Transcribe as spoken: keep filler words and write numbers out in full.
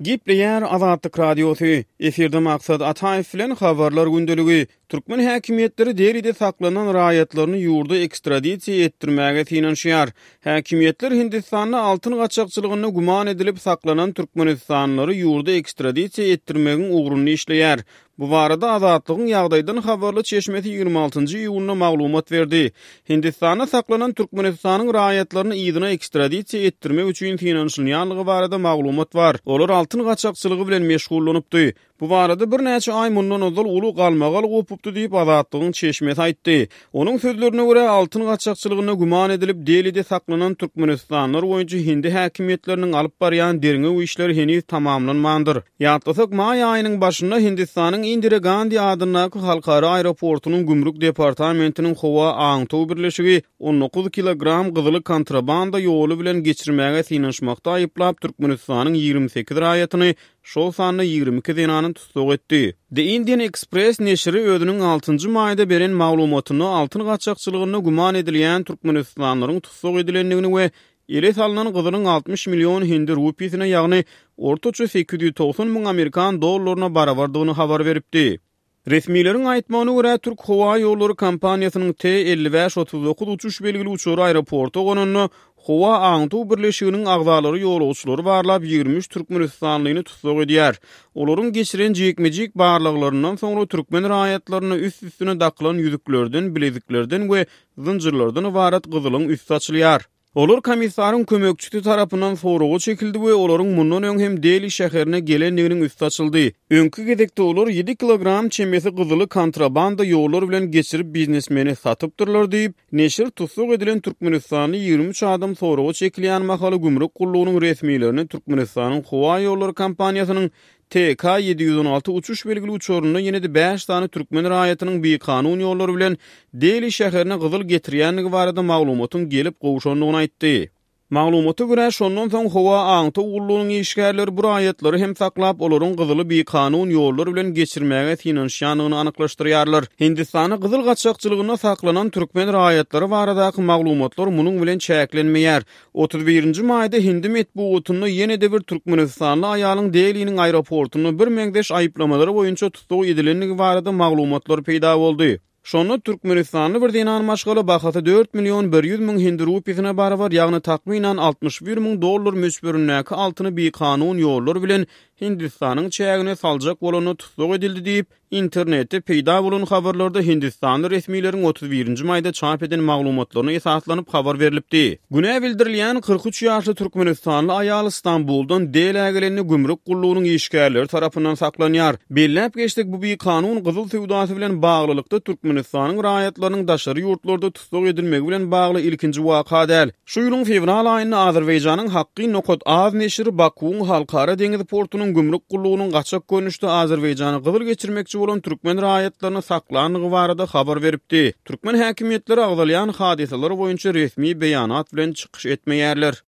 Gepleýär Azatlyk Radiosy, efirde Maksat Ataýew bilen Habarlar gündeligi. Türkmen häkimiýetleri Delide saklanan raýatlaryny ýurda ekstradisiýa etdirmäge synanyşýar. Häkimiýetler Hindistanda altyn gaçakçylygynda güman edilip saklanan türkmenistanlylary ýurda ekstradisiýa etdirmegiň ugrunda işleýär. Bu barada Azatlygyň ýagdaýdan habarly çeşmesi ýigrimi altynjy iýunda maglumat berdi. Hindistanda saklanan Türkmenistanyň raýatlaryny yzyna ekstradisiýa etdirmek üçin synanyşylýanlygy barada maglumat bar. Olar altyn gaçakçylygy bilen meşgullanypdy. Bu barada birnäçe aý mundan ozal uly galmagal gopupdy diýip, Azatlygyň çeşmesi aýtdy. Onuň sözlerine görä, altyn gaçakçylygynda güman edilip, Delide saklanan türkmenistanlylar boýunça hindi häkimiýetleriniň alyp barýan derňew işleri heniz tamamlanmandyr. Ýatlasak, maý aýynyň başynda Hindistanyň Indira Gandi adyndaky halkara aeroportunyň gümrük departamentiniň howa aňtaw birleşigi on dokuz kilogram gyzyly kontrabanda ýoly bilen geçirmäge synanyşmakda aýyplap, Türkmenistanyň ýigrimi sekiz raýatyny, şol sanda ýigrimi iki zenany tussag etdi. The Indian Express neşiri özüniň altynjy maýda beren maglumatynda altyn gaçakçylygynda güman edilýän türkmenistanlylaryň tussag edilendigini we ele salnan gyzylyň altmyş million hindi rupisine, ýagny ortaça sekiz ýüz togsan müň amerikan dollaryna barabardygyny habar beripdi. Resmileriň aýtmagyna görä, Türk howa ýollary kompaniýasynyň T elli bäş otuz dokuz uçuş belgili uçary aeroporta gonanda, howa aňtaw birleşiginiň agzalary ýolagçylary barlap, ýigrimi üç türkmenistanlyny tussag edýär. Olaryň geçiren jikme-jik barlaglaryndan soňra türkmen raýatlaryna üst-üstüne dakylan ýüzüklerden, bileziklerden we zynjyrlardan ybarat gyzylyň üsti açylýar. Olar komissaryň kömekçisi tarapyndan soraga çekildi we olaryň mundan öň hem Deli şäherine gelendiginiň üsti açyldy. Öňki gezekde olar ýedi kilogram çemesi gyzyly kontrabanda ýollar bilen geçirip biznesmene satypdyrlar diýip, neşir tussag edilen türkmenistanly ýigrimi üç adam soraga çekilýän mahaly gümrük gullugynyň resmilerine Türkmenistanyň howa ýollary kompaniýasynyň T K ýedi ýüz on alty uçuş belgili uçarynda ýene-de bäş sany türkmen raýatynyň bikanun ýollar bilen Deli şäherine gyzyl getirýändigi barada maglumatyň gelip gowşandygyny aýtdy. Maglumata görä, şondan soň howa aňtaw gullugynyň işgärleri bu raýatlary hem saklap, olaryň gyzyly bikanun ýollar bilen geçirmäge synanyşýandygyny anyklaşdyrýarlar. Hindistanda gyzyl gaçakçylygynda saklanan türkmen raýatlary baradaky maglumatlar munuň bilen çäklenmeýär. Otuz birinji maýda hindi metbugatynda ýene-de bir türkmenistanly aýalyň Deliniň aeroportunda birmeňzeş aýyplamalar boýunça tussag edilendigi barada maglumatlar peýda boldy. Şonda türkmenistanly bir zenan maşgala bahasy dört million bir ýüz müň hindi rupisine barabar, ýagny takmynan altmyş bir müň dollar möçberindäki altyny bikanun ýollar bilen Hindistanyň çägine saljak bolanda tussag edildi diýip, internetde peýda bolan habarlarda hindistanly resmileriň otuz birinji maýda çap eden maglumatlaryna esaslanyp habar berlipdi. Günä bildirilýän kyrk üç ýaşly türkmenistanly aýal Stambuldan Delä gelende gümrük gullugynyň işgärleri tarapyndan saklanýar. Belläp geçsek, bu bikanun gyzyl söwdasy bilen baglylykda Türkmenistanyň raýatlarynyň daşary ýurtlarda tussag edilmegi bilen bagly ilkinji waka däl. Şu ýylyň fewral aýynda Azerbaýjanyň Hakkyn nokat az neşiri Bakuwyň halkara deňiz portunyň gümrük gullugynyň gaçak görnüşde Azerbaýjana gyzyl geçirmekçi bolan türkmen raýatlaryny saklandygy barada habar beripdi. Türkmen häkimiýetleri agzalýan hadysalar boýunça resmi beýanat bilen çykyş etmeýärler.